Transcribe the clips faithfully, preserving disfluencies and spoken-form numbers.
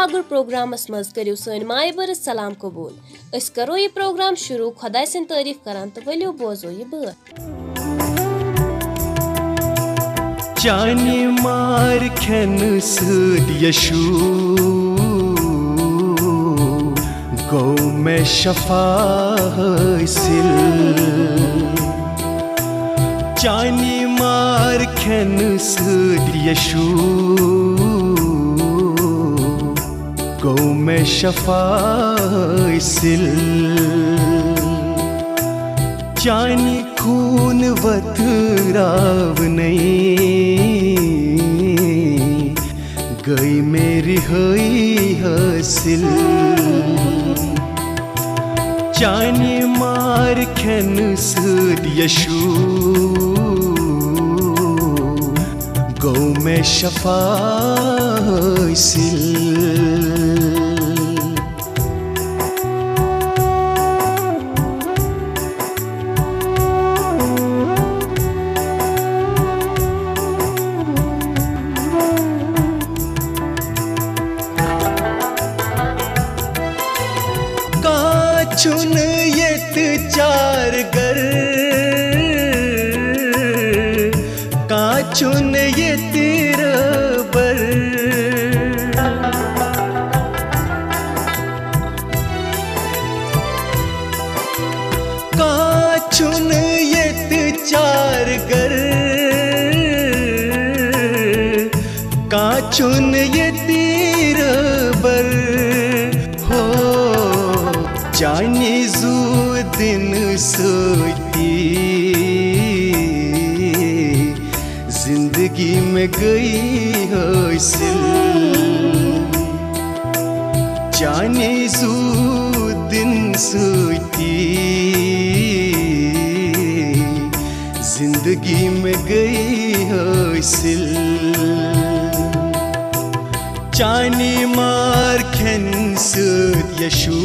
آگُر programmes منٛز کٔرِو سٲنۍ مایہِ بٔرٕژ سلام قبوٗل۔ أسۍ کرو یہِ پروگرام شروٗع خۄداے سٕنٛدۍ تعٲریٖف کران تہٕ ؤلِو بوزو یہِ بٲتھ۔ چانہِ مار کھٮ۪نہٕ سۭتۍ یشو گوٚو مےٚ شفا حٲصِل۔ چانہِ مار کھٮ۪نہٕ سۭتۍ یشو گوٚو مےٚ شفا حٲصِل۔ چانہِ خوٗن وتراونَے گٔے مےٚ رِہٲیی حٲصِل۔ چانہِ مار کھٮ۪نہٕ سۭتۍ یشو گوٚو مےٚ شفا حٲصِل۔ کانٛہہ چھُنہٕ ییٚتہِ چارگر، کانٛہہ چھُنہٕ ییٚتہِ رٲبر۔ کانٛہہ چھُنہٕ ییٚتہِ چارگر، کانٛہہ چھُنہٕ ییٚتہِ رٲبر۔ ہو، چانہِ زوٗ دِنہٕ سۭتی زندگی مےٚ گٔے حٲصِل۔ چانہِ زوٗ دِنہٕ سۭتی زندگی مےٚ گٔے حٲصِل۔ چانہِ مار کھٮ۪نہٕ سۭتۍ یشو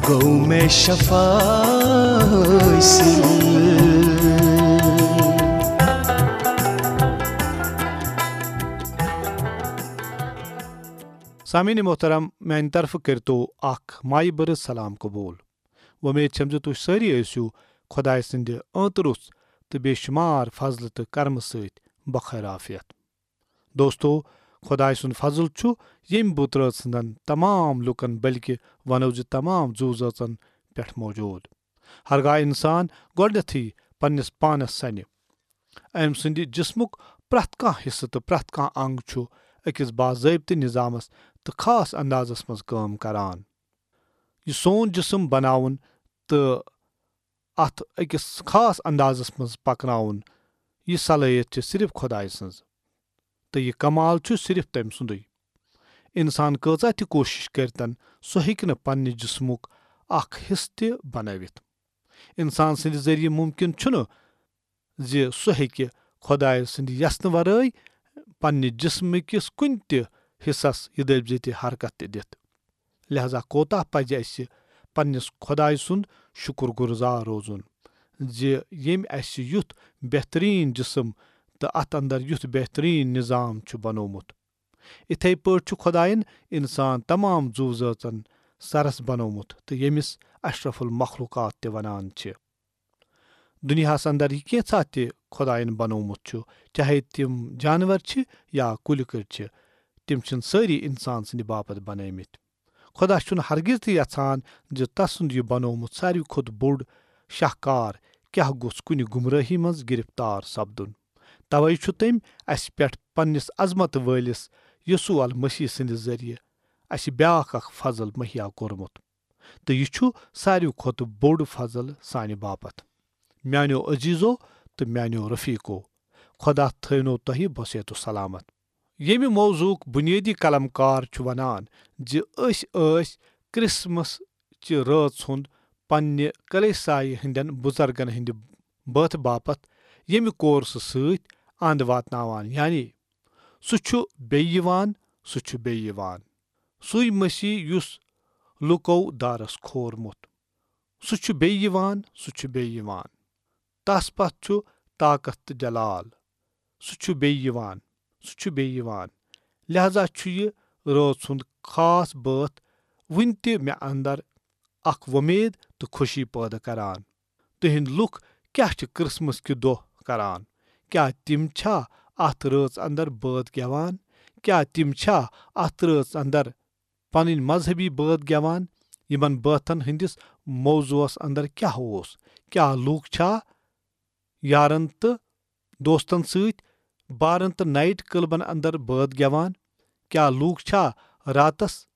گوٚو مےٚ شفا حٲصِل۔ سامعین محترم، میانہِ طرفہٕ کٔرتو اکھ مایہِ بٔرٕژ سلام قبول۔ وۄمید چھم زِ تُہۍ سٲری ٲسِو خۄداے سٕنٛدِ ٲنٛتہٕ روٚس تہٕ بے شُمار فضلہٕ تہٕ کرمہٕ سۭتۍ بخیر عافیت۔ دوستو، خۄداے سُنٛد فضل چھُ ییٚمہِ بُترٲژ سٕنٛدن تمام لوٗکن، بلکہِ ونو زِ تمام زُو زٲژن پٮ۪ٹھ موجود۔ ہرگاہ انسان گۄڈنیتھٕے پننِس پانس سنہِ، أمۍ سٕنٛدِ جسمُک پرٛٮ۪تھ کانٛہہ حصہٕ تہٕ پرٛٮ۪تھ کانٛہہ انگ چھُ أکِس باضٲبطہٕ نظامس تہٕ خاص اندازس منٛز کٲم کران۔ یہِ سون جسم بناوُن تہٕ اتھ أکِس خاص اندازس منٛز پکناوُن، یہِ صلٲحیت چھِ صرف خۄدایہِ سٕنٛز۔ تہٕ یہِ کمال چھُ صرف تٔمۍ سُنٛدُے۔ انسان کۭژاہ تہِ کوٗشش کٔرتن، سُہ ہیٚکہِ نہٕ پننہِ جسمُک اکھ حصہٕ تہِ بنٲوِتھ۔ انسان سٕنٛدِ ذٔریعہٕ ممکن چھُنہٕ زِ سُہ ہیٚکہِ خۄدایہِ سٕنٛدِ یژھنہٕ ورٲے پننہِ جسمہٕ کِس کُنہِ تہِ حصس یہِ دٔپۍ زِ تہِ حرکت تہِ دِتھ۔ لہذا کوتاہ پزِ اسہِ پننِس خۄدایہِ سُنٛد شُکر گُزار روزُن زِ ییٚمۍ اسہِ یُتھ بہتریٖن جسم تہٕ اتھ اندر یُتھ بہتریٖن نظام چھُ بنوومُت۔ اِتھے پٲٹھۍ چھُ خۄدایَن انسان تمام زُو زٲژن سرس بنوومُت تہٕ ییٚمِس اشرف المخلوقات تہِ ونان چھِ۔ دُنیاہس اندر یہِ کینٛژھا تہِ خۄدایَن بنوومُت چھُ، چاہے تِم جانور چھِ یا کُلۍ کٔٹۍ چھِ، تِم چھِنہٕ سٲری انسان سٕنٛدِ باپتھ بنٲومٕتۍ۔ خۄدا چھُنہٕ ہرگز تہِ یژھان زِ تسُنٛد یہِ بنوومُت ساروی کھۄتہٕ بوٚڑ شاہکار کیاہ گوٚژھ کُنہِ گمرٲہی منٛز گرفتار سپدُن۔ توے چھُ تٔمۍ اسہِ پٮ۪ٹھ پننِس عظمت وٲلِس یسوع المسیح سٕنٛدِ ذٔریعہٕ اسہِ بیاکھ اکھ فضل مہیا کوٚرمُت۔ تہٕ یہِ چھُ ساروی کھۄتہٕ بوٚڑ فضل سانہِ باپتھ۔ میانیو عزیزو تہٕ میانیو رفیقو، خۄدا تھٲونو تۄہہِ بصحت و سلامت۔ ییٚمہِ موضوعُک بُنیٲدی قلم کار چھُ وَنان زِ أسۍ ٲسۍ کرسمس چہِ رٲژ ہُنٛد پننہِ کلیسایہِ ہٕنٛدٮ۪ن بُزرگن ہٕنٛدِ بٲتھٕ باپتھ ییٚمہِ کورسہٕ سۭتۍ اند واتناوان، یعنی سُہ چھُ بیٚیہِ یِوان، سُہ چھُ بیٚیہِ یِوان۔ سُے مسیح یُس لُکو دارس کھورمُت۔ سُہ چھُ بیٚیہِ یِوان، سُہ چھُ بیٚیہِ یِوان۔ تس پتھ چھُ طاقت تہٕ جلال۔ سُہ چھُ بیٚیہِ یِوان، سُہ چھُ بیٚیہِ یِوان۔ لہذا چھُ یہِ رٲژ ہُنٛد خاص بٲتھ وُنہِ تہِ مےٚ اندر اکھ وۄمید تہٕ خوشی پٲدٕ کران۔ تُہنٛد لُکھ کیٛاہ چھِ کرسمس کہِ دۄہ کران؟ کیٛاہ تِم چھا اتھ رٲژ اندر بٲتھ گٮ۪وان؟ کیٛاہ تِم چھا اتھ رٲژ اندر پنٕنۍ مذہبی بٲتھ گٮ۪وان؟ یِمن بٲتھن ہٕنٛدِس موضوعس اندر کیٛاہ اوس؟ کیٛاہ لوٗکھ چھا یارن تہٕ دوستن سۭتۍ بارن تہٕ نائٹ کلبن اندر بٲتھ گٮ۪وان؟ کیٛاہ لوٗکھ چھا راتس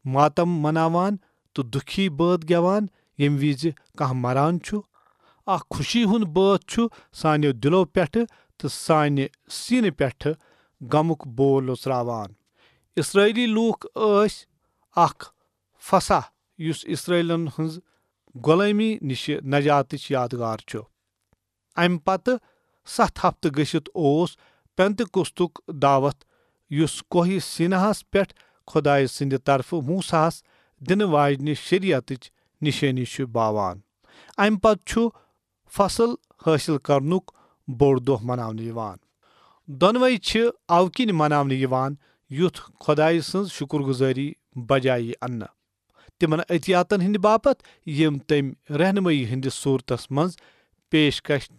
ماتم مناوان تہٕ دُکھی بٲتھ گٮ۪وان، ییٚمہِ وِزِ کانٛہہ مران چھُ؟ اکھ خوشی ہُنٛد بٲتھ چھُ سانیو دِلو پٮ۪ٹھٕ تہٕ سانہِ سیٖنہٕ پٮ۪ٹھٕ غمُک بول لوژراوان۔ اسرائیلی لوٗکھ ٲسۍ اکھ فصح، یُس اسرائیلن ہٕنٛز غۄلٲمی نِشہِ نجاتٕچ یادگار چھُ۔ امہِ پتہٕ ستھ ہفتہٕ گٔژھِتھ اوس پینتکوستُک دعوت، یُس کوہ سیٖناہس پٮ۪ٹھ خۄدایہِ سٕنٛدِ طرفہٕ موسیٰ ہس دِنہٕ واجنہِ شریعتٕچ نِشٲنی چھُ باوان۔ امہِ پتہٕ چھُ فصل حٲصِل کرنُک بوٚڑ دۄہ مناونہٕ یِوان۔ دۄنوَے چھِ اَوٕ کِنۍ مناونہٕ یِوان، یُتھ خۄدایہِ سٕنٛز شُکر گُزٲری بجایہِ یی اننہٕ۔ تِمن عطیاتن ہٕنٛدِ باپتھ، یِم تٔمۍ رہنمٲیی ہٕنٛدِس صوٗرتس منٛز پیشکش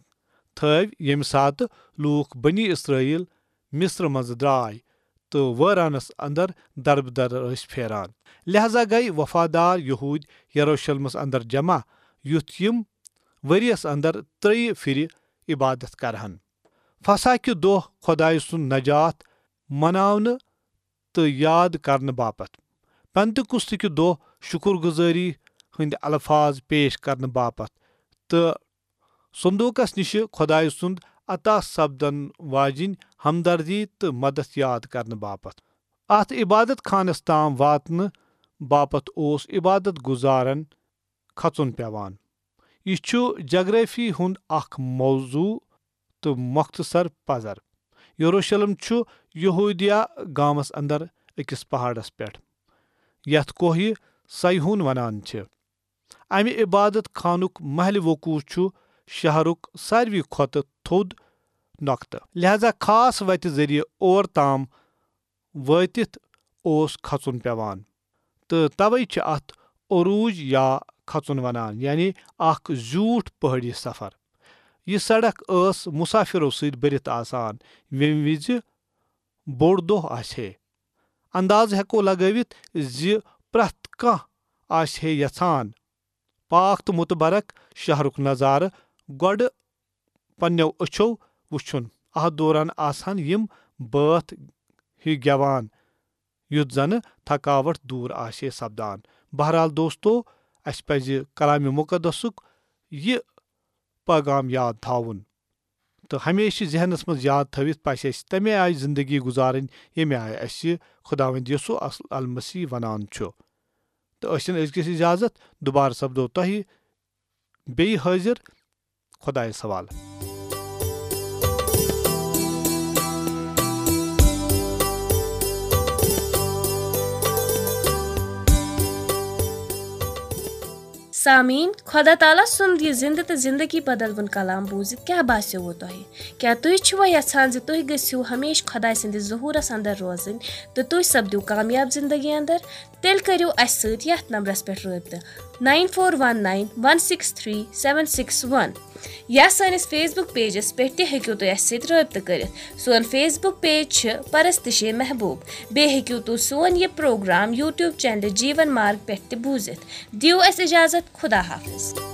تھٲوۍ، ییٚمہِ ساتہٕ لوٗکھ بنی اسرائیل مصر منٛزٕ درٛاے تہٕ وٲرانس اندر دربدر ٲسۍ پھیران۔ لہذا گٔیہِ وفادار یہوٗدۍ یروشلمس اندر جمع، یُتھ یِم ؤریس اندر ترٛیٚیہِ پھِرِ عبادت کرہن۔ فصح کہِ دۄہ خۄدایہِ سُنٛد نجات مناونہٕ تہٕ یاد کرنہٕ باپتھ، پینتکوست کہِ دۄہ شُکر گُزٲری ہٕنٛدۍ الفاظ پیش کرنہٕ باپتھ، تہٕ صندوقس نِشہِ خۄدایہِ سُنٛد عطا سپدن واجِنۍ ہمدردی تہٕ مدد یاد کرنہٕ باپتھ۔ اتھ عبادت خانس تام واتنہٕ باپتھ اوس عبادت گزارن کھژُن پیوان۔ یہِ چھُ جغرافی ہُنٛد اکھ موضوع تہٕ مختصر پزر۔ یروشلم چھُ یہودیہ گامس اندر أکِس پہاڑس پٮ۪ٹھ، یتھ کوہ صیہون ونان چھِ۔ امہِ عبادت خانُک محلِ وقوع چھُ شہرُک ساروی کھۄتہٕ تھوٚد نۄقطہٕ، لہذا خاص وتہِ ذٔریعہٕ اور تام وٲتِتھ اوس کھژُن پیوان، تہٕ توے چھِ اتھ عروج یا کھژُن ونان، یعنی اکھ زیوٗٹھ پہٲڑی سفر۔ یہِ سڑک ٲس مسافرو سۭتۍ بٔرِتھ آسان، ییٚمہِ وِزِ بوٚڑ دۄہ آسہِ ہے۔ انداز ہٮ۪کو لگٲوِتھ زِ پرٛٮ۪تھ کانٛہہ آسہِ ہے یژھان پاک تہٕ متبرک شہرُک نظارٕ گۄڈٕ پننٮ۪و أچھو وُچھُن۔ اتھ دوران آسہٕ ہن یِم بٲتھ ہیوۍ گٮ۪وان، یُتھ زنہٕ تھکاوٹ دوٗر آسہِ ہے سپدان۔ بہرحال دوستو، اسہِ پزِ کلامِ مقدسُک یہِ پیغام یاد تھاوُن تہٕ ہمیشہِ ذہنس منٛز یاد تھٲوِتھ پزِ اسہِ تمے آیہِ زندگی گُزارٕنۍ، ییٚمہِ آیہِ اسہِ خداوند یسوع المسیح ونان چھُ۔ تہٕ أسۍ چھِن أزکِس اجازت، دُبارٕ سپدو تۄہہِ بیٚیہِ حٲضِر خۄدایس حوالہٕ۔ سامعیٖن، خۄدا تعالیٰ سُنٛد یہِ زِنٛدٕ تہٕ زِنٛدگی بدلوُن کلام بوٗزِتھ کیٛاہ باسیووٕ تۄہہِ؟ کیٛاہ تُہۍ چھِوا یژھان زِ تُہۍ گٔژھِو ہمیشہٕ خۄداے سٕنٛدِس ظہوٗرس اندر روزٕنۍ تہٕ تُہۍ سپدِو کامیاب زِنٛدگی اندر؟ تیٚلہِ کٔرِو اَسہِ سۭتۍ یَتھ نمبرَس پٮ۪ٹھ رٲبطہٕ، nine four one nine one six three seven six one۔ یا سٲنِس Facebook pageس پٮ۪ٹھ تہِ ہیٚکِو تُہۍ اَسہِ سۭتۍ رٲبطہٕ کٔرِتھ۔ سون Facebook page چھِ پرستشِ محبوب۔ بیٚیہِ ہیٚکِو تُہۍ سون یہِ پروگرام YouTube channel جیٖون مارگ پٮ۪ٹھ تہِ بوٗزِتھ۔ دِیِو اَسہِ اِجازت، خدا حافظ۔